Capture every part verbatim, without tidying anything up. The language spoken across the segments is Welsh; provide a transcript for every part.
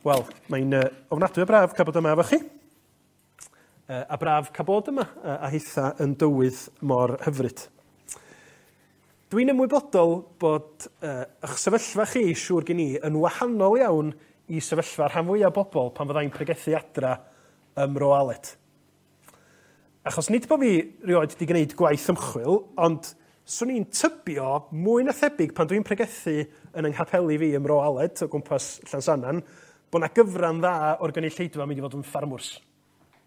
Wel, mae'n uh, ofnadwy o braf cael bod yma efo chi. Uh, a braf cael bod yma, uh, a hitha yn dywydd mor hyfryd. Dwi'n ymwybodol bod uh, eich sefyllfa chi, siŵr gen i, yn wahanol iawn i sefyllfa rhan fwyaf o bobl pan fyddai'n pregethu adra ym Mro Aled. Achos nid bod fi rioed wedi gwneud gwaith ymchwil, ond swn i'n tybio mwy na thebyg pan dwi'n pregethu yn yng nghapeli fi ym Mro Aled o gwmpas Llansannan, bod 'na gyfran dda o'r gynulleidfa mynd i fod yn ffarmwrs.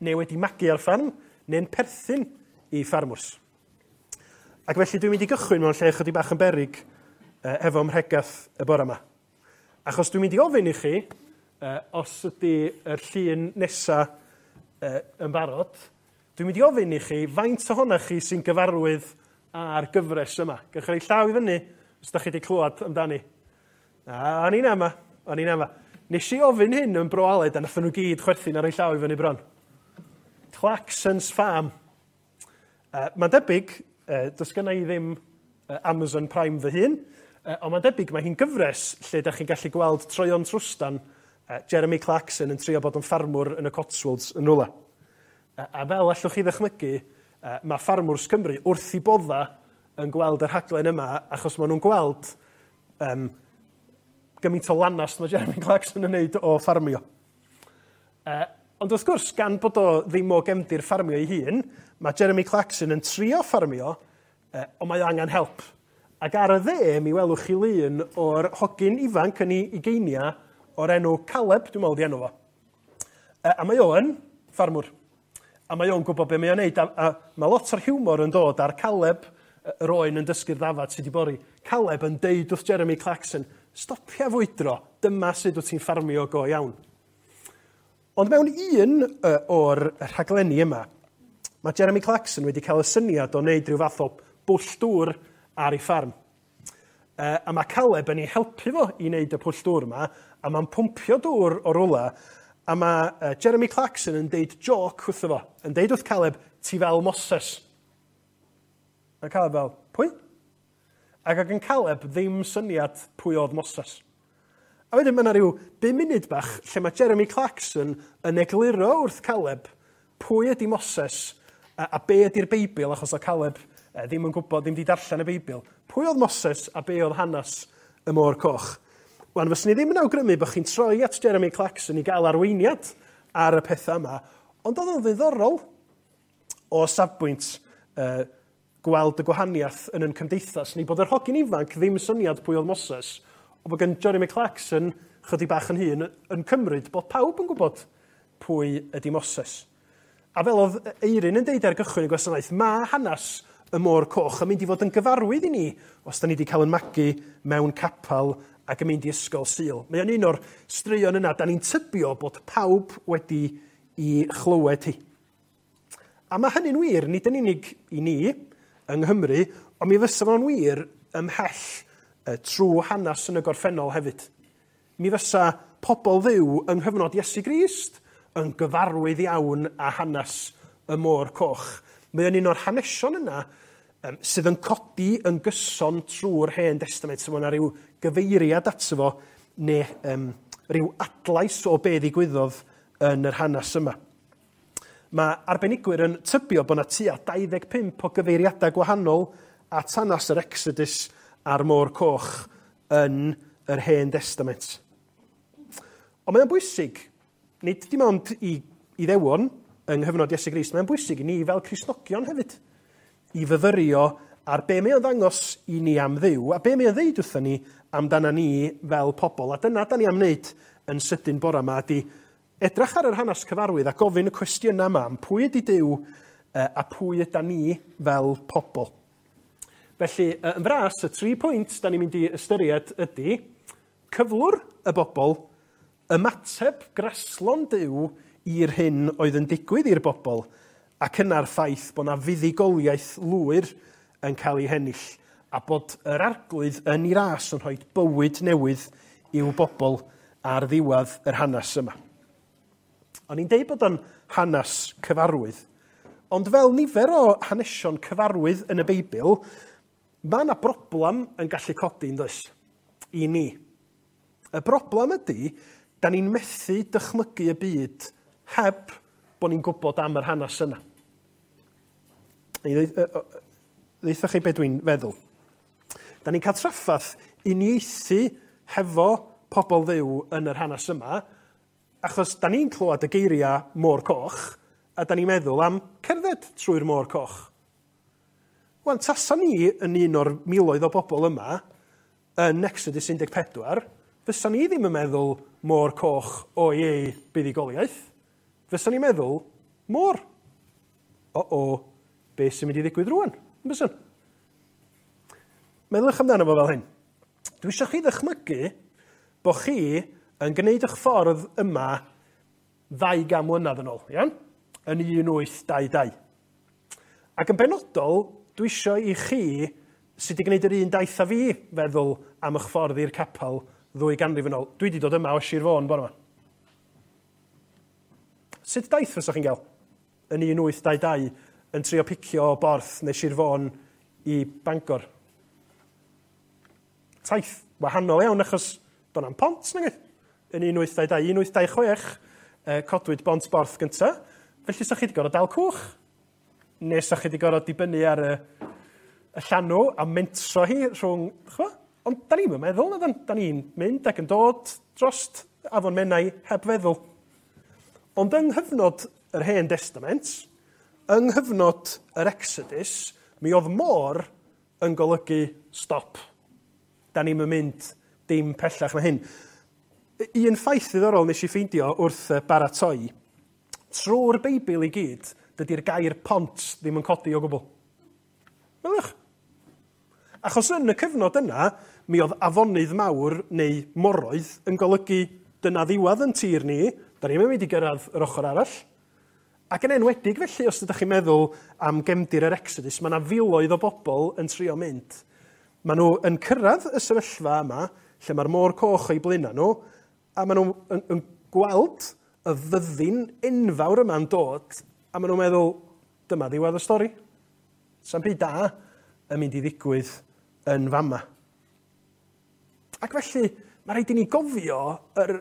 Neu wedi magu ar ffarm, neu'n perthyn i ffarmwrs. Ac felly dwi'n mynd i gychwyn mewn lle chydig bach yn beryg eh, efo mhregath y bore yma. Achos dwi'n mynd i ofyn i chi, eh, os ydy yr llun nesa eh, yn barod, dwi'n mynd i ofyn i chi faint ohonoch chi sy'n gyfarwydd â'r gyfres yma. Gewch chi roi llaw i fyny os ydych chi wedi clywed amdani. A, o'n i'n ama, o'n i'n ama. Nes i ofyn hyn yn Bro Aled a nathon nhw gyd chwerthin ar eu llaw i fyny bron. Clarkson's Farm. Uh, mae'n debyg, uh, does gynna i ddim uh, Amazon Prime fy hun, uh, ond mae'n debyg mae hi'n gyfres lle da chi'n gallu gweld troeon trwstan uh, Jeremy Clarkson yn trio bod yn ffarmwr yn y Cotswolds yn rwla. Uh, a fel allwch chi ddychmygu, uh, mae ffarmwrs Cymru wrth i bodda yn gweld y rhaglen yma, achos maen nhw'n gweld um, gymaint o lanast mae Jeremy Clarkson yn neud o ffarmio. Uh, ond wrth gwrs, gan bod o ddim o gefndir ffarmio ei hun, mae Jeremy Clarkson yn trio ffarmio, uh, ond mae o angen help. Ac ar y dde, mi welwch chi lun o'r hogyn ifanc yn ei ugeinia o'r enw Caleb, dwi'n meddwl di enw fo. Uh, a mae o yn ffarmwr. A mae o'n gwybod be mae o'n neud. A, a mae lot o'r hiwmor yn dod ar Caleb, yr oen yn dysgu'r ddafad sydd wedi bori. Caleb yn deud wrth Jeremy Clarkson, stopia fwydro, dyma sut wyt ti'n ffarmio go iawn. Ond mewn un uh, o'r rhaglenni yma, mae Jeremy Clarkson wedi cael y syniad o wneud rhyw fath o bwll dŵr ar ei ffarm. Uh, a mae Caleb yn ei helpu fo i wneud y pwll dŵr yma, a mae'n pwmpio dŵr o rwla, a mae uh, Jeremy Clarkson yn deud joc wrtho fo, yn deud wrth Caleb, ti fel Moses. A Caleb fel, pwy? Ac oedd gan Caleb ddim syniad pwy oedd Moses. A wedyn mae yna rhyw bum munud bach lle mae Jeremy Clarkson yn egluro wrth Caleb pwy ydy Moses a, a be ydy'r Beibl, achos oedd Caleb eh, ddim yn gwybod, ddim wedi darllen y Beibl. Pwy oedd Moses a be oedd hanes y Môr Coch? Wan, fyswn i ddim yn awgrymu bod chi'n troi at Jeremy Clarkson i gael arweiniad ar y pethau yma, ond oedd o'n ddiddorol o safbwynt uh, gweld y gwahaniaeth yn yn cymdeithas ni, bod yr hogyn ifanc ddim syniad pwy oedd Moses, ond bod gen Jeremy Clarkson chydig bach yn hŷn yn cymryd bod pawb yn gwybod pwy ydy Moses. A fel oedd Eirin yn deud ar gychwyn y gwasanaeth, mae hanes y Môr Coch yn mynd i fod yn gyfarwydd i ni os da ni wedi cael yn magu mewn capel ac yn mynd i ysgol Sul. Mae o'n un o'r straeon yna, da ni'n tybio bod pawb wedi i chlywed hi. A mae hynny'n wir, nid yn unig i ni yng Nghymru, ond mi fysa fo'n wir ymhell uh, trwy hanes yn y gorffennol hefyd. Mi fysa pobl Dduw yng nghyfnod Iesu Grist yn gyfarwydd iawn â hanes y Môr Coch. Mae o'n un o'r hanesion yna um, sydd yn codi yn gyson trwy'r Hen Destament. So mae yna rhyw gyfeiriad ato fo, neu um, rhyw adlais o be ddigwyddodd yn yr hanes yma. Mae arbenigwyr yn tybio bod yna tua dau ddeg pump o gyfeiriadau gwahanol at hanes yr Exodus a'r Môr Coch yn yr Hen Destament. Ond mae'n bwysig, nid dim ond i Iddewon yng nghyfnod Iesu Grist, mae'n bwysig i ni fel Cristnogion hefyd, i fyfyrio ar be mae o'n ddangos i ni am Dduw, a be mae o'n ddeud wrthon ni amdana ni fel pobl. A dyna da ni am wneud yn sydyn bore yma, ydy edrych ar yr hanes cyfarwydd a gofyn y cwestiynau yma am pwy ydy Duw a pwy yda ni fel pobl. Felly, yn fras, y tri pwynt da ni'n mynd i ystyried ydy cyflwr y bobl, ymateb graslon Duw i'r hyn oedd yn digwydd i'r bobl, ac yna'r ffaith bod 'na fuddugoliaeth lwyr yn cael ei hennill, a bod yr Arglwydd yn ei ras yn rhoi bywyd newydd i'w bobl ar ddiwedd yr hanes yma. O'n i'n deud bod o'n hanes cyfarwydd, ond fel nifer o hanesion cyfarwydd yn y Beibl, mae yna broblem yn gallu codi, yn does, i ni. Y broblem ydy, Da ni'n methu dychmygu y byd heb bod ni'n gwybod am yr hanes yna. Ddeutha chi beth dwi'n feddwl. Da ni'n cael traffath uniaethu hefo pobl Dduw yn yr hanes yma, achos da ni'n clywed y geiriau Môr Coch, a da ni'n meddwl am cerdded trwy'r Môr Coch. Wan, tasa ni yn un o'r miloedd o bobl yma, yn Exodus un deg pedwar, fysa ni ddim yn meddwl Môr Coch o ei buddugoliaeth. Fysa ni'n meddwl, môr. O-o, beth sy'n mynd i ddigwydd rwan? Bysan? Meddyliwch amdano fo fel hyn. Dwi eisiau chi ddychmygu bod chi yn gwneud eich ffordd yma ddau gan mlynedd yn ôl, iawn? Yn un wyth dau dau. Ac yn benodol, dwi eisiau i chi sydd wedi gwneud yr un daith â fi feddwl am eich ffordd i'r capel ddwy ganrif yn ôl. Dwi wedi dod yma o Sir Fôn bore yma. Sut daith fysa chi'n gael yn un wyth dau dau yn trio picio o Borth neu Sir Fôn i Bangor? Taith wahanol iawn achos do'n am pont, nag oedd? Yn un wyth dau dau, un wyth dau chwech, eh, codwyd bont Borth gynta. Felly sa chi wedi gorfod dal cwch, neu sa chi wedi gorfod dibynnu ar y, y llanw a mentro hi rhwng... Chwa? Ond da ni'n meddwl, na da ni'n mynd ac yn dod drost Afon Menai heb feddwl. Ond yng nghyfnod yr Hen Testament, yng nghyfnod yr Exodus, mi oedd môr yn golygu stop. Da ni'n mynd dim pellach na hyn. Un ffaith ddiddorol nes i ffeindio wrth baratoi, trwy'r Beibl i gyd, dydy'r gair pont ddim yn codi o gwbl. Meddyliwch. Achos yn y cyfnod yna, mi oedd afonydd mawr neu moroedd yn golygu dyna ddiwedd yn tir ni, da ni'n mynd i gyrraedd yr ochr arall. Ac yn enwedig felly, os ydych chi'n meddwl am gefndir yr Exodus, mae yna filoedd o bobl yn trio mynd. Maen nhw yn cyrraedd y sefyllfa yma, lle mae'r Môr Coch o'i blaenau nhw, a maen nhw yn, yn gweld y fyddin enfawr yma'n dod, a maen nhw'n meddwl, dyma ddiwedd y stori. Sa'm byd da yn mynd i ddigwydd yn fama. Ac felly, mae rhaid i ni gofio yr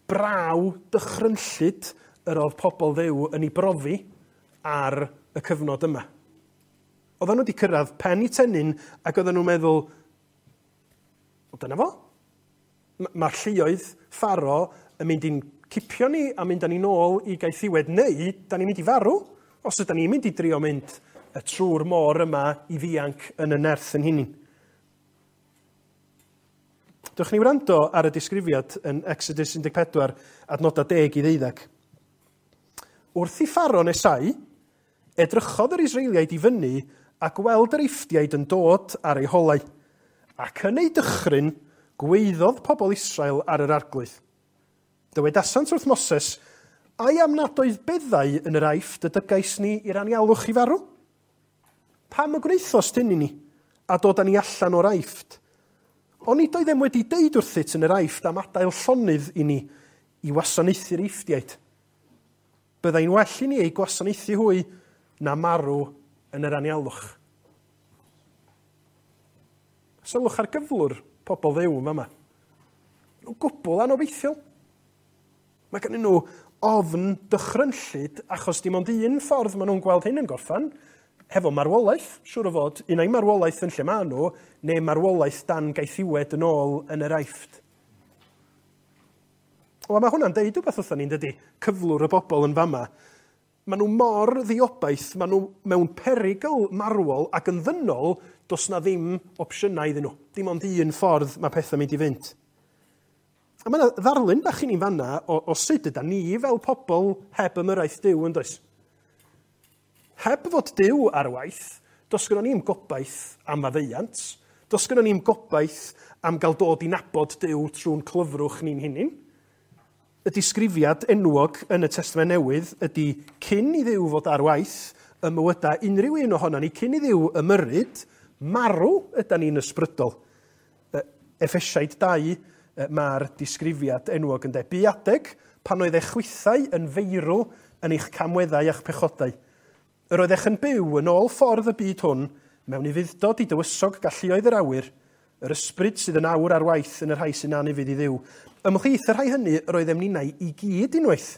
braw dychrynllyd yr oedd pobl Dduw yn ei brofi ar y cyfnod yma. Oedden nhw wedi cyrraedd pen i tennyn ac oedden nhw'n meddwl, o dyna fo. Mae'r lluoedd Pharo yn mynd i'n cipio ni a mynd â ni nôl i gaethiwed, neu da ni'n mynd i farw, os ydyn ni'n mynd i drio mynd y trwy'r môr yma i ddianc yn y nerth yn hunain. Dewch ni wrando ar y disgrifiad yn Exodus un deg pedwar, adnodau deg i ddeuddeg. Wrth i Pharo nesau, edrychodd yr Israeliaid i fyny a gweld yr Eifftiaid yn dod ar eu holau, ac yn eu dychryn gweiddodd pobl Israel ar yr Arglwydd. Dywedasant wrth Moses, ai am nad oedd beddau yn yr Aifft y dygais ni i'r anialwch i farw? Pam y gwnaethost hyn i ni, a dod â ni allan o'r Aifft? Onid oeddem wedi deud wrthyt yn yr Aifft am adael llonydd i ni i wasanaethu'r Eifftiaid? Byddai'n well i ni eu gwasanaethu hwy na marw yn yr anialwch. Sylwch ar gyflwr pobl Dduw yn fama. Nhw'n gwbl anobeithiol. Mae gen nhw ofn dychrynllyd achos dim ond un ffordd maen nhw'n gweld hyn yn gorffan, hefo marwolaeth, siŵr o fod, un ai marwolaeth yn lle maen nhw, neu marwolaeth dan gaethiwed yn ôl yn yr Aifft. Wel, mae hwnna'n deud rhywbeth wrthon ni'n dydy, cyflwr y bobl yn fama. Maen nhw mor ddiobaith, maen nhw mewn perygl marwol ac yn ddynol, does na ddim opsiynau iddyn nhw. Dim ond un ffordd mae pethau'n mynd i fynd. A mae yna ddarlun bach i ni'n fanna o, o sut yda ni fel pobl heb ymyrraeth Duw yn does. Heb fod Duw ar waith, does gynnon ni'm gobaith am faddeuant, does gynnon ni'm gobaith am gael dod i nabod Duw trwy'n clyfrwch ni'n hunain. Y disgrifiad enwog yn y Testament Newydd ydy cyn i Dduw fod ar waith y mywydau unrhyw un ohonon ni, cyn i Dduw ymyrryd, marw ydan ni'n ysbrydol. Effesiaid dau, mae'r disgrifiad enwog yn de. Bu adeg pan oedd eich chwithau yn feirw yn eich camweddau a'ch pechodau. Yr oeddech yn byw yn ôl ffordd y byd hwn mewn ufudd-dod i dywysog galluoedd yr awyr, Yr ysbryd sydd yn awr ar waith yn y rhai sy'n anufudd i Dduw. Ymhlith y rhai hynny yr oeddem ninnau i gyd unwaith,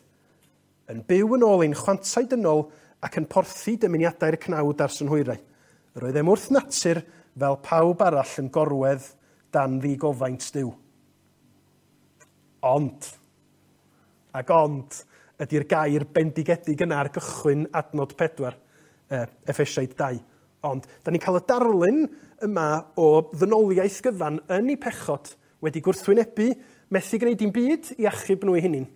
yn byw yn ôl ein chwantau dynol ac yn porthi dymuniadau'r cnawd a'r synhwyrau. Yr oeddem wrth natur fel pawb arall yn gorwedd dan ddigofaint Duw. Ond, ac ond, ydy'r gair bendigedig yna ar gychwyn adnod pedwar, eh, Effesiaid dau. Ond, da ni'n cael y darlun yma o ddynoliaeth gyfan yn ei pechod wedi gwrthwynebu, methu gwneud dim byd i achub nhw eu hunain.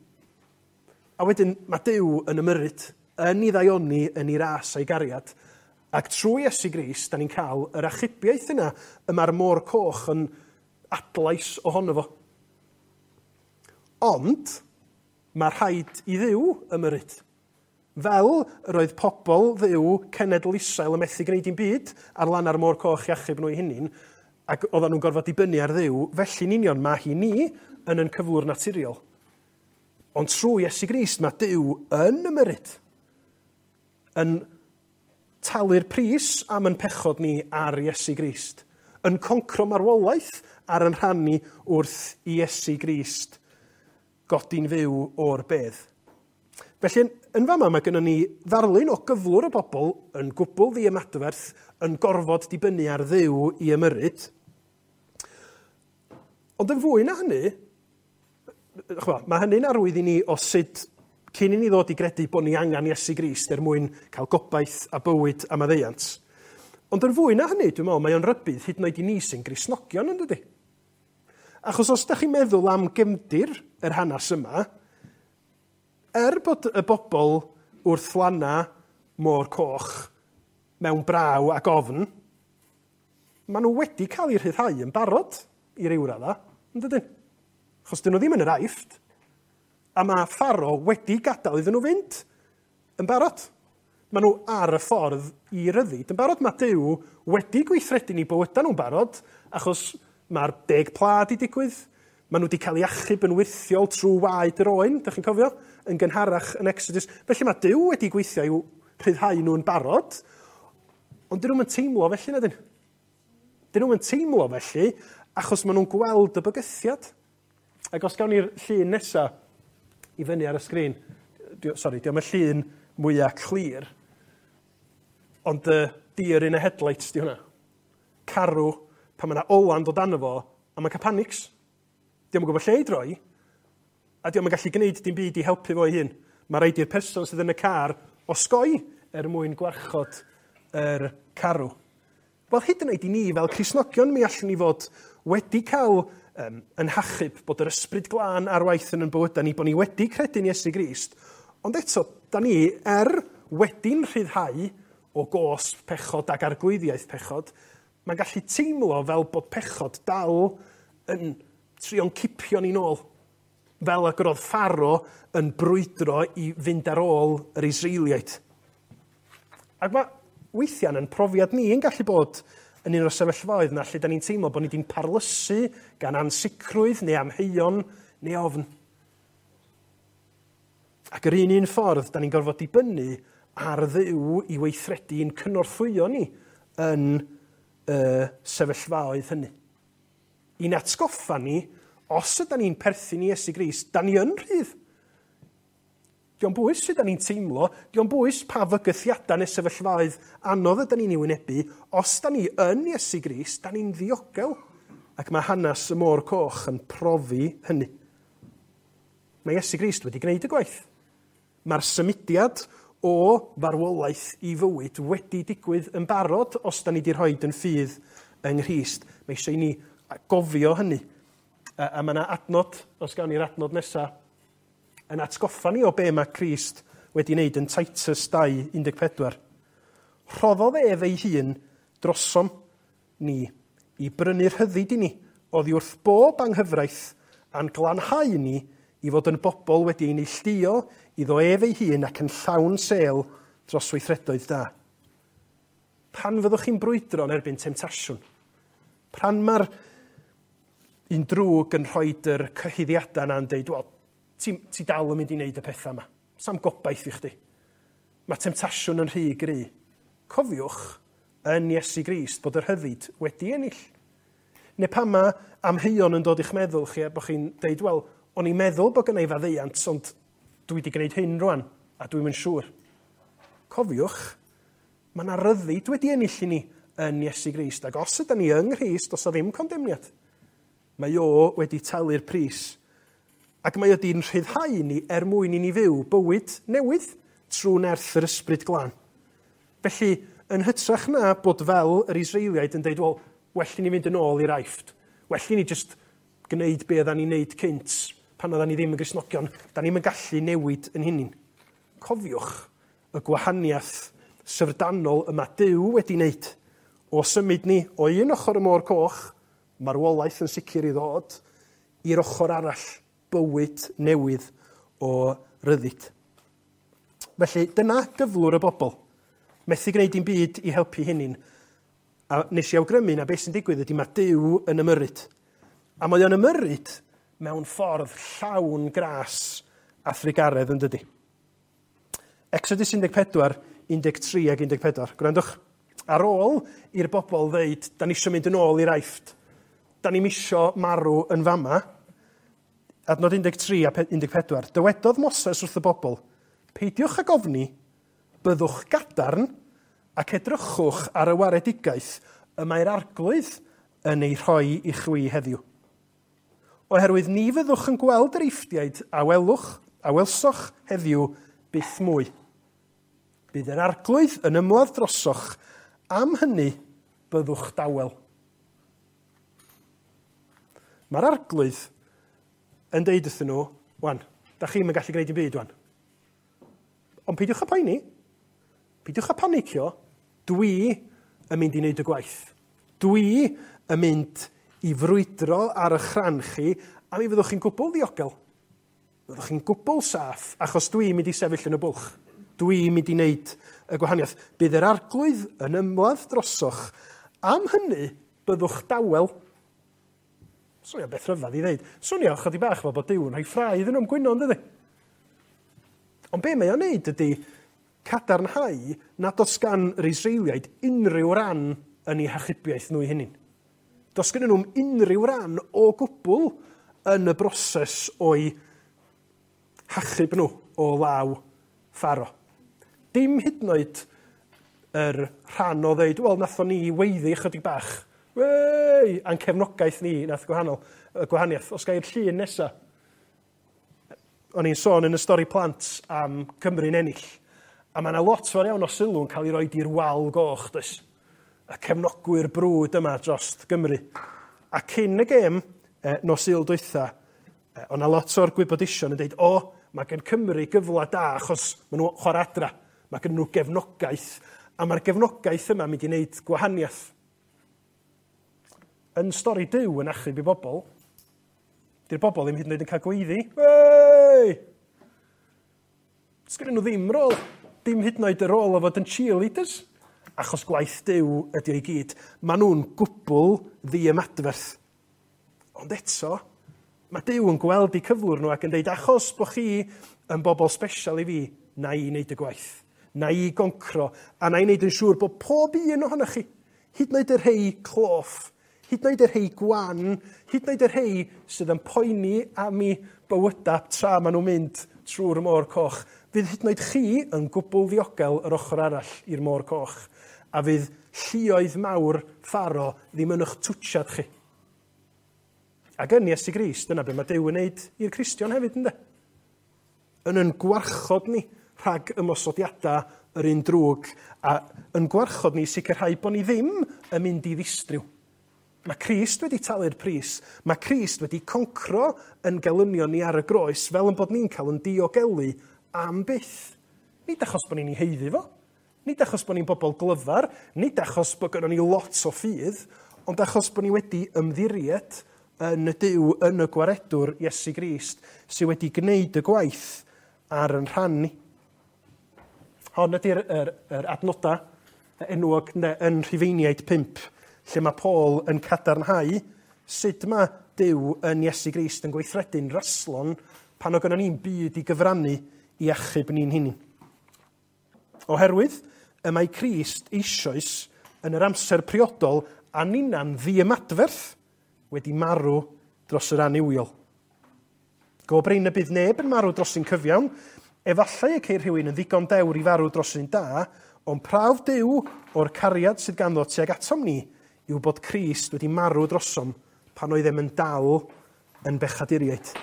A wedyn mae Duw yn ymyrryd, yn ei ddaioni, yn ei ras a'i gariad, ac trwy Iesu Grist, da ni'n cael yr achubiaeth yna y mae'r môr coch yn adlais ohono fo. Ond, mae rhaid i Dduw ymyrryd. Fel yr oedd pobl Dduw cenedl Israel yn methu gwneud dim byd ar lan ar môr coch i achub nhw eu hunain, ac oedden nhw'n gorfod dibynnu ar Dduw, felly'n union mae hi ni yn yn cyflwr naturiol. Ond trwy Iesu Grist mae Duw yn ymyrryd, yn talu'r pris am yn pechod ni ar Iesu Grist, yn concro marwolaeth ar yn rhan ni wrth i Iesu Grist godi'n fyw o'r bedd. Felly, yn fama mae gennym ni ddarlun o gyflwr y bobl yn gwbl ddiymadferth, yn gorfod dibynnu ar Dduw i ymyrryd. Ond yn fwy na hynny, chwa, mae hynny'n arwydd i ni o sut cyn i ni ddod i gredu bod ni angen Iesu Grist er mwyn cael gobaith a bywyd a maddeuant. Ond yn fwy na hynny, dwi'n meddwl, mae o'n rybudd hyd yn oed i ni sy'n Gristnogion, yn dydi? Achos os ydych chi'n meddwl am gefndir yr hanes yma, er bod y bobl wrth lana môr coch mewn braw ac ofn, maen nhw wedi cael eu rhyddhau yn barod i ryw radda, yn dydyn? Achos dyn nhw ddim yn yr Aifft, a mae Pharaoh wedi gadael iddyn nhw fynd yn barod. Maen nhw ar y ffordd i ryddid yn barod. Mae Duw wedi gweithredu ni bywydau nhw'n barod, achos mae'r deg pla di digwydd. Maen nhw wedi cael eu achub yn wyrthiol trwy waed yr oen, dych chi'n cofio, yn gynharach yn Exodus. Felly mae Duw wedi gweithio i'w rhyddhau nhw'n barod, ond dyn nhw'n teimlo felly, na dyn? Dyn nhw'n teimlo felly, achos maen nhw'n gweld y bygythiad. Ac os gawn ni'r llun nesaf i fyny ar y sgrin, sori, diolch y llun mwyaf clir, ond uh, deer in a headlights di hwnna. Carw, pan mae yna olan dod arno fo, a mae'n cael panics. Dio'm yn gwybod lle i droi, a dio'm yn gallu gwneud dim byd i helpu fo ei hun. Mae rhaid i'r person sydd yn y car osgoi er mwyn gwarchod yr carw. Wel, hyd yn oed i ni fel Cristnogion, mi allwn ni fod wedi cael um, yn hachub bod yr ysbryd glân ar waith yn ein bywydau ni, bod ni wedi credu'n Iesu Grist, ond eto, da ni er wedi'n rhyddhau o gosb pechod ac arglwyddiaeth pechod, mae'n gallu teimlo fel bod pechod dal yn trio'n cipio ni'n ôl, fel ag yr oedd Pharaoh yn brwydro i fynd ar ôl yr Israeliaid. Ac mae weithiau yn profiad ni yn gallu bod yn un o'r sefyllfaoedd yna lle da ni'n teimlo bod ni wedi'n parlysu gan ansicrwydd neu amheuon neu ofn. Ac yr un un ffordd, da ni'n gorfod dibynnu ar Dduw i weithredu i'n cynorthwyo ni yn y sefyllfaoedd hynny. I'n atgoffa ni, os ydy ni'n perthyn i Iesu Grist, da ni yn rhydd. Dio'n bwys sut da ni'n teimlo, dio'n bwys pa fygythiadau neu sefyllfaoedd anodd ydy ni'n ei wynebu, os da ni yn Iesu Grist, da ni'n ddiogel. Ac mae hanes y môr coch yn profi hynny. Mae Iesu Grist wedi gwneud y gwaith. Mae'r symudiad o farwolaeth i fywyd wedi digwydd yn barod os da ni wedi rhoi yn ffydd yng Nghrist. Mae eisiau i ni gofio hynny. A, a mae yna adnod, os gawn ni'r adnod nesaf, yn atgoffa ni o be mae Crist wedi wneud yn Titus dau un deg pedwar. Rhoddodd ef ei hun drosom ni i brynu rhyddid i ni oddi wrth bob anghyfraith a'n glanhau ni i fod yn bobl wedi ei neilltuo iddo ef ei hun ac yn llawn sêl dros weithredoedd da. Pan fyddwch chi'n brwydro yn erbyn temtasiwn, pan mae'r un drwg yn rhoi yr cyhuddiadau yna'n deud, wel, ti, ti dal yn mynd i wneud y pethau yma. Sam gobaith i chdi. Mae temtasiwn yn rhy gry. Cofiwch yn Iesu Grist bod yr rhyddid wedi ennill. Neu pan mae amheuon yn dod i'ch meddwl chi, a bod chi'n deud, wel, o'n i'n meddwl bod gynna i faddeuant, ond dwi wedi gwneud hyn rwan, a dwi'm yn siŵr. Cofiwch, mae yna ryddid wedi ennill i ni yn Iesu Grist, ac os ydyn ni yng Nghrist, does 'na ddim condemniad. Mae o wedi talu'r pris. Ac mae o wedi'n rhyddhau ni er mwyn i ni fyw bywyd newydd trwy nerth yr Ysbryd Glân. Felly, yn hytrach na bod fel yr Israeliaid yn deud, wel, well i ni fynd yn ôl i'r Aifft. Well i ni just gwneud be oeddan ni'n neud cynt pan oeddan ni ddim yn Gristnogion. Da ni'm yn gallu newid yn hunin. Cofiwch y gwahaniaeth syfrdanol yma Duw wedi wneud o symud ni o un ochr y Môr Coch, marwolaeth yn sicr i ddod, i'r ochr arall, bywyd newydd o ryddid. Felly, dyna gyflwr y bobl. Methu gwneud dim byd i helpu hunin. A nes i awgrymu na beth sy'n digwydd ydy mae Duw yn ymyrryd. A mae o'n ymyrryd mewn ffordd llawn gras a thrugaredd, yn dydy. Exodus un deg pedwar, un deg tri ac un deg pedwar. Gwrandwch. Ar ôl i'r bobl ddeud, da ni isio mynd yn ôl i'r Aifft, da ni'm isio marw yn fama, adnod un deg tri a un deg pedwar, dywedodd Moses wrth y bobl, peidiwch ag ofni, byddwch gadarn ac edrychwch ar y waredigaeth y mae'r Arglwydd yn ei rhoi i chwi heddiw. Oherwydd ni fyddwch yn gweld yr Eifftiaid a welwch, a welsoch heddiw byth mwy. Bydd yr Arglwydd yn ymladd drosoch, am hynny byddwch dawel. Mae'r Arglwydd yn deud wrthyn nhw, wan, da chi'm yn gallu gwneud dim byd wan. Ond peidiwch â poeni, peidiwch â panicio, dwi yn mynd i wneud y gwaith. Dwi yn mynd i frwydro ar eich rhan chi, a mi fyddwch chi'n gwbl ddiogel. Fyddwch chi'n gwbl saff, achos dwi'n mynd i sefyll yn y bwlch. Dwi'n mynd i wneud y gwahaniaeth. Bydd yr Arglwydd yn ymladd drosoch. Am hynny, byddwch dawel. Swnio beth rhyfedd i ddeud. Swnio chydig bach fel bod Duw yn rhoi ffrae iddyn nhw'n gwyno, yn dydi? Ond be mae o'n neud ydy cadarnhau nad oes gan yr Israeliaid unrhyw ran yn eu hachubiaeth nhw eu hunain. Does gen nhw'm unrhyw ran o gwbl yn y broses o'i hachub nhw o law Pharo. Dim hyd yn oed yr rhan o ddeud, wel, nathon ni weiddi chydig bach. Wei! A'n cefnogaeth ni nath gwahanol, y gwahaniaeth. Os gai'r llun nesa. O'n i'n sôn yn y stori plant am Cymru'n ennill. A mae yna lot fawr iawn o sylw yn cael ei roed i'r wal goch, does? Y cefnogwyr brwd yma dros Gymru. A cyn y gêm, eh, nos Sul dwytha, eh, o'na lot o'r gwybodusion yn dweud, o, mae gen Cymru gyfle da achos maen nhw chwarae adra. Mae gen nhw gefnogaeth, a mae'r gefnogaeth yma mynd i wneud gwahaniaeth. Yn stori Duw yn achub i bobl, di'r bobl ddim hyd yn oed yn cael gweiddi. Wei! Sgynnon nhw ddim rôl, dim hyd yn oed y rôl o fod yn cheerleaders, achos gwaith Duw ydy o'i gyd. Maen nhw'n gwbl ddiymadferth. Ond eto, mae Duw yn gweld eu cyflwr nhw ac yn deud, achos bod chi yn bobl special i fi, na i wneud y gwaith, na i goncro, a na i wneud yn siŵr bod pob un ohonoch chi, hyd yn oed y rhei cloff, hyd yn oed y rhei gwan, hyd yn oed y rhei sydd yn poeni am eu bywydau tra maen nhw'n mynd trwy'r Môr Coch, fydd hyd yn oed chi yn gwbl ddiogel yr ochr arall i'r Môr Coch, a fydd lluoedd mawr Pharo ddim yn eich twtsiad chi. Ac yn Iesu Grist, dyna be mae Duw yn wneud i'r Cristion hefyd, ynddo? Yn yn gwarchod ni rhag ymosodiadau yr un drwg, a yn gwarchod ni sicrhau bod ni ddim yn mynd i ddistryw. Mae Crist wedi talu'r pris. Mae Crist wedi concro yn gelynion ni ar y groes fel yn bod ni'n cael yn diogelu am byth. Nid achos bod ni'n ei haeddu fo, nid achos bod ni'n bobl glyfar, nid achos bod gynnon ni lot o ffydd, ond achos bod ni wedi ymddiried yn y Duw, yn y Gwaredwr Iesu Grist, sydd wedi gwneud y gwaith ar yn rhan ni. Hon ydy'r yr, yr adnoda enwog ne, yn Rhufeiniaid pump, lle mae Paul yn cadarnhau sut mae Duw yn Iesu Grist yn gweithredu'n raslon pan o gynnon ni'n byd i gyfrannu i achub ni'n hunain. Oherwydd y mae Crist eisoes yn yr amser priodol a ninna'n ddiymadferth wedi marw dros yr annuwiol. Go brin y bydd neb yn marw dros un cyfiawn, efallai y ceir rhywun yn ddigon dewr i farw dros un da, ond prawf Duw o'r cariad sydd ganddo tuag atom ni yw bod Crist wedi marw drosom pan oeddem yn dal yn bechaduriaid.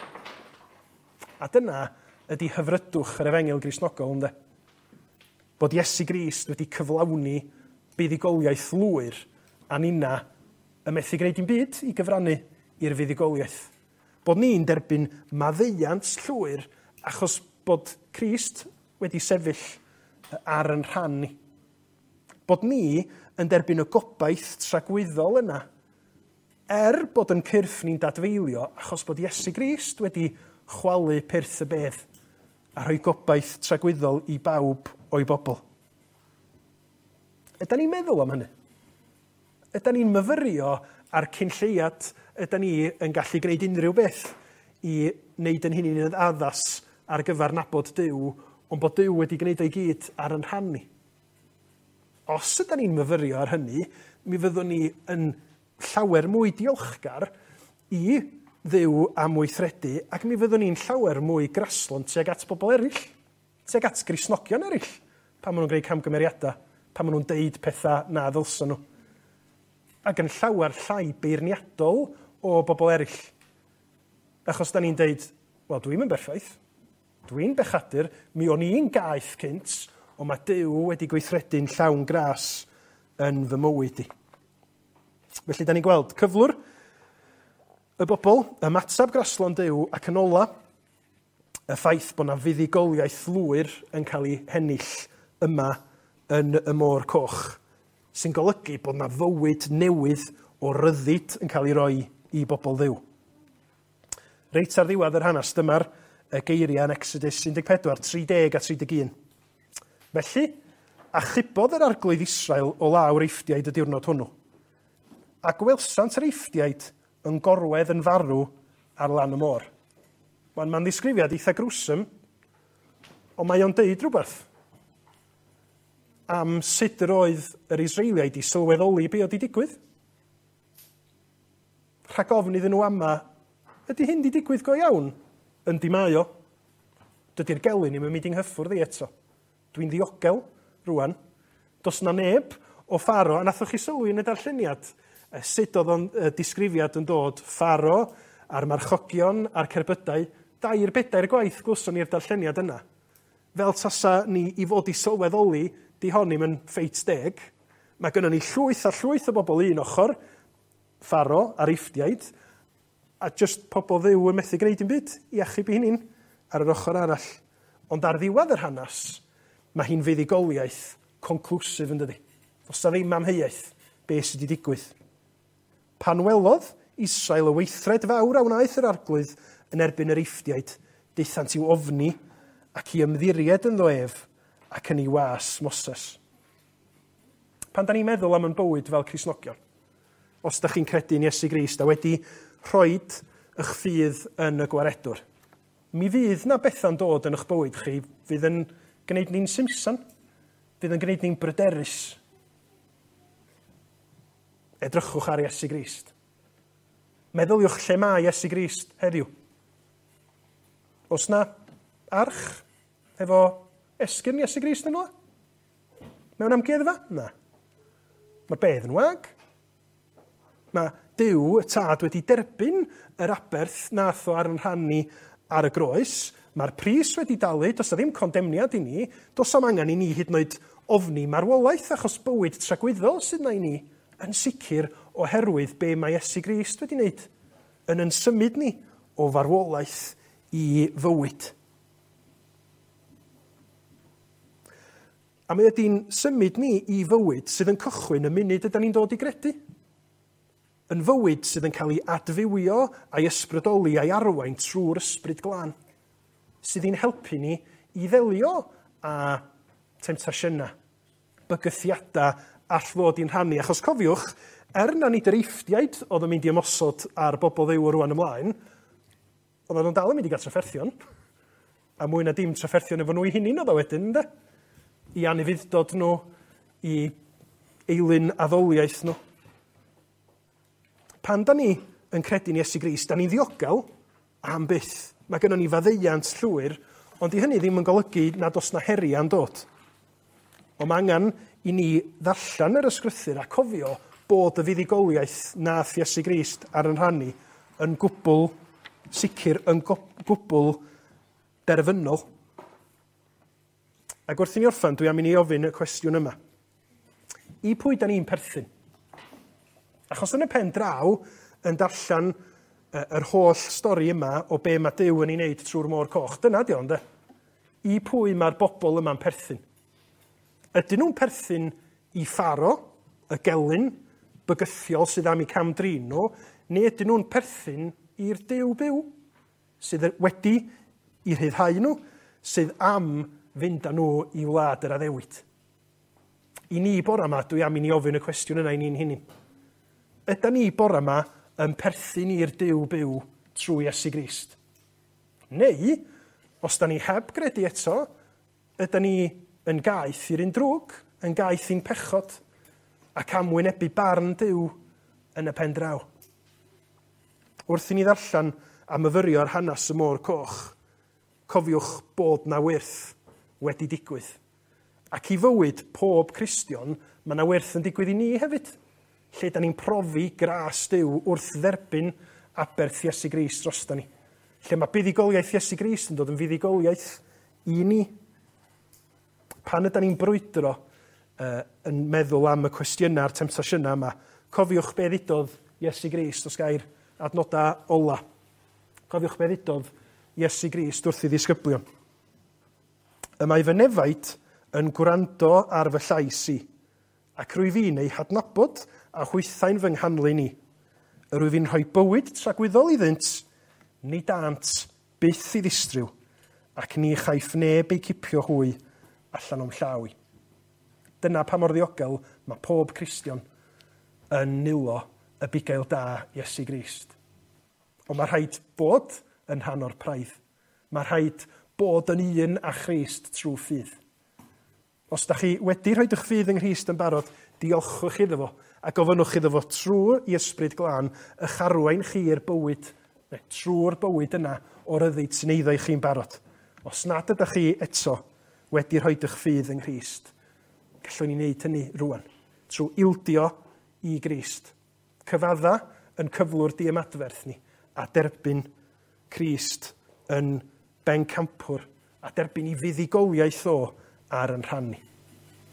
A dyna ydy hyfrydwch yr efengyl Gristnogol, ynde? Bod Iesu Grist wedi cyflawni buddugoliaeth lwyr a ninna y methu gwneud dim byd i gyfrannu i'r fuddugoliaeth. Bod ni'n derbyn maddeuant llwyr achos bod Crist wedi sefyll ar yn rhan ni. Bod ni yn derbyn y gobaith tragwyddol yna, er bod yn cyrff ni'n dadfeilio achos bod Iesu Grist wedi chwalu pyrth y bedd a rhoi gobaith tragwyddol i bawb o'i bobl. Ydan ni'n meddwl am hynny? Ydan ni'n myfyrio ar cyn lleiad? Ydan ni yn gallu gwneud unrhyw beth i wneud yn hynny'n addas ar gyfer nabod Duw, ond bod Duw wedi gwneud o'i gyd ar yn rhan ni? Os ydan ni'n myfyrio ar hynny, mi fyddwn ni yn llawer mwy diolchgar i Dduw am weithredu, ac mi fyddwn ni'n llawer mwy graslon tuag at bobl eraill, tuag at Gristnogion eraill, pan maen nhw'n gwneud camgymeriadau, pan maen nhw'n deud pethau na ddylsyn nhw. Ac yn llawer llai beirniadol o bobl eraill. Achos da ni'n deud, wel, dwi'm yn berffaith, dwi'n bechadur, mi o'n i'n gaeth cynt, ond mae Duw wedi gweithredu'n llawn gras yn fy mywyd i. Felly, da ni'n gweld cyflwr y bobl, ymateb graslon Duw, ac yn ola, y ffaith bod 'na fuddugoliaeth lwyr yn cael ei hennill yma yn y Môr Coch, sy'n golygu bod 'na fywyd newydd o ryddid yn cael ei roi i bobl Dduw. Reit ar ddiwedd yr hanes, dyma'r geiriau yn Exodus un deg pedwar, tri deg a tri deg un. Felly, achubodd yr arglwydd Israel o law'r Eifftiaid y diwrnod hwnnw. A gwelsant yr Eifftiaid yn gorwedd yn farw ar lan y môr. Mae'n ma'n ddisgrifiad eitha gruesome, ond mae o'n deud rhywbeth am sut yr oedd yr Israeliaid i sylweddoli be oedd 'di digwydd. Rhag ofn iddyn nhw ama, ydy hyn 'di digwydd go iawn? Yndi mae o. Dydy'r gelyn ddim yn mynd i nghyffwrdd i eto. Dwi'n ddiogel rwan. Does 'na neb o Pharo, a nathoch chi sylwi yn y darlleniad sut oedd o'n disgrifiad yn dod Pharo a'r marchogion a'r cerbydau, dair bedair gwaith glwson ni'r darlleniad yna. Fel tasa ni i fod i sylweddoli, di hon ddim yn ffeit deg. Mae gynnon ni llwyth a llwyth o bobl un ochr, Pharo a'r Eifftiaid, a just pobl Dduw yn methu gwneud dim byd i achub eu hunain ar yr ochr arall. Ond ar ddiwedd yr hanes, mae hi'n fuddugoliaeth conclusive yn dydi. Does 'na ddim amheuaeth beth sydd wedi digwydd. Pan welodd Israel y weithred fawr a wnaeth yr arglwydd yn erbyn yr Eifftiaid, daethant i'w ofni ac i ymddiried ynddo ef ac yn ei was Moses. Pan da ni'n meddwl am yn bywyd fel Cristnogion, os da chi'n credu yn Iesu Grist a wedi rhoid eich ffydd yn y gwaredwr, mi fydd na bethau'n dod yn eich bywyd chi fydd yn gwneud ni'n simsan, fydd yn gwneud ni'n bryderus. Edrychwch ar Iesu Grist. Meddyliwch lle mae Iesu Grist heddiw. Oes na arch efo esgyrn Iesu Grist yn yno? Mewn amgueddfa? Na. Mae'r bedd yn wag. Mae Duw, y Tad, wedi derbyn yr aberth nath o ar yn rhan ni ar y groes. Mae'r pris wedi dalu, does 'na ddim condemniad i ni, does 'am angen i ni hyd yn oed ofni marwolaeth achos bywyd tragwyddol sydd 'na i ni, yn sicr oherwydd be mae Iesu Grist wedi wneud, yn yn symud ni o farwolaeth i fywyd. A mae ydy'n symud ni i fywyd sydd yn cychwyn y munud ydan ni'n dod i gredu. Yn fywyd sydd yn cael ei adfywio a'i ysbrydoli a'i arwain trwy'r ysbryd glân, sydd i'n helpu ni i ddelio â temtasiynau, bygythiadau all fod i'n rhannu. Achos cofiwch, er na nid yr Eifftiaid oedd yn mynd i ymosod ar bobl Dduw o rwan ymlaen, oedden nhw'n dal yn mynd i gael trafferthion, a mwy na dim trafferthion efo nhw eu hunain oedd o wedyn, ynde? I anufudd-dod nhw, i eilun addoliaeth nhw. Pan da ni yn credu'n Iesu Grist, da ni'n ddiogel am byth. Mae gynnon ni faddeuant llwyr, ond i hynny ddim yn golygu nad oes na heriau'n dod. Ond mae angen i ni ddarllen yr ysgrythur a cofio bod y fuddugoliaeth nath Iesu Grist ar yn rhan ni yn gwbl sicr, yn gwbl derfynol. Ac wrth i ni orffen, dwi am i ni ofyn y cwestiwn yma. I pwy da ni'n perthyn? Achos yn y pen draw, yn darllen yr holl stori yma o be mae Duw yn ei wneud trwy'r Môr Coch, dyna di o, ynde? I pwy mae'r bobl yma'n perthyn? Ydyn nhw'n perthyn i Pharo, y gelyn bygythiol sydd am eu cam-drin nhw, neu ydyn nhw'n perthyn i'r Duw byw, sydd wedi i rhyddhau nhw, sydd am fynd â nhw i wlad yr addewid? I ni bora yma, dwi am i ni ofyn y cwestiwn yna i ni'n hunain. Ydy ni bora yma yn perthyn i'r Duw byw trwy Iesu Grist? Neu, os da ni heb gredu eto, ydy ni yn gaeth i'r un drwg, yn gaeth i'n pechod, ac am wynebu barn Duw yn y pen draw? Wrth i ni ddarllen a myfyrio ar hanes y Môr Coch, cofiwch bod na wyrth wedi digwydd. Ac i fywyd pob Cristion, mae na wyrth yn digwydd i ni hefyd, lle da ni'n profi gras Duw wrth dderbyn aberth Iesu Grist drosta ni. Lle mae buddugoliaeth Iesu Grist yn dod yn fuddugoliaeth i ni. Pan yda ni'n brwydro uh, yn meddwl am y cwestiynau a'r temtasiynau yma, cofiwch be ddudodd Iesu Grist, os gair adnodau ola. Cofiwch be ddudodd Iesu Grist wrth ei ddisgyblion. Y mae fy nefaid yn gwrando ar fy llais i, ac rwyf fi'n eu hadnabod a hwythau'n fy nghanlyn i. Yr wyf fi'n rhoi bywyd tragwyddol iddynt, ni dânt byth i ddistryw, ac ni chaiff neb eu cipio hwy allan o'm llaw i. Dyna pa mor ddiogel mae pob Cristion yn nwylo y bugail da Iesu Grist. Ond mae rhaid bod yn rhan o'r praidd. Mae rhaid bod yn un â Christ trwy ffydd. Os da chi wedi rhoi eich ffydd yng Nghrist yn barod, diolchwch iddo fo a gofynnwch iddo fo trwy i Ysbryd Glân eich arwain chi i'r bywyd, neu trwy'r bywyd yna o ryddid sy'n eiddo i chi'n barod. Os nad ydych chi eto wedi rhoi eich ffydd yng Nghrist, gallwn ni wneud hynny rwan, trwy ildio i Grist. Cyfadda yn cyflwr diymadferth ni a derbyn Crist yn bencampwr a derbyn i fuddugoliaeth o ar yn rhan ni.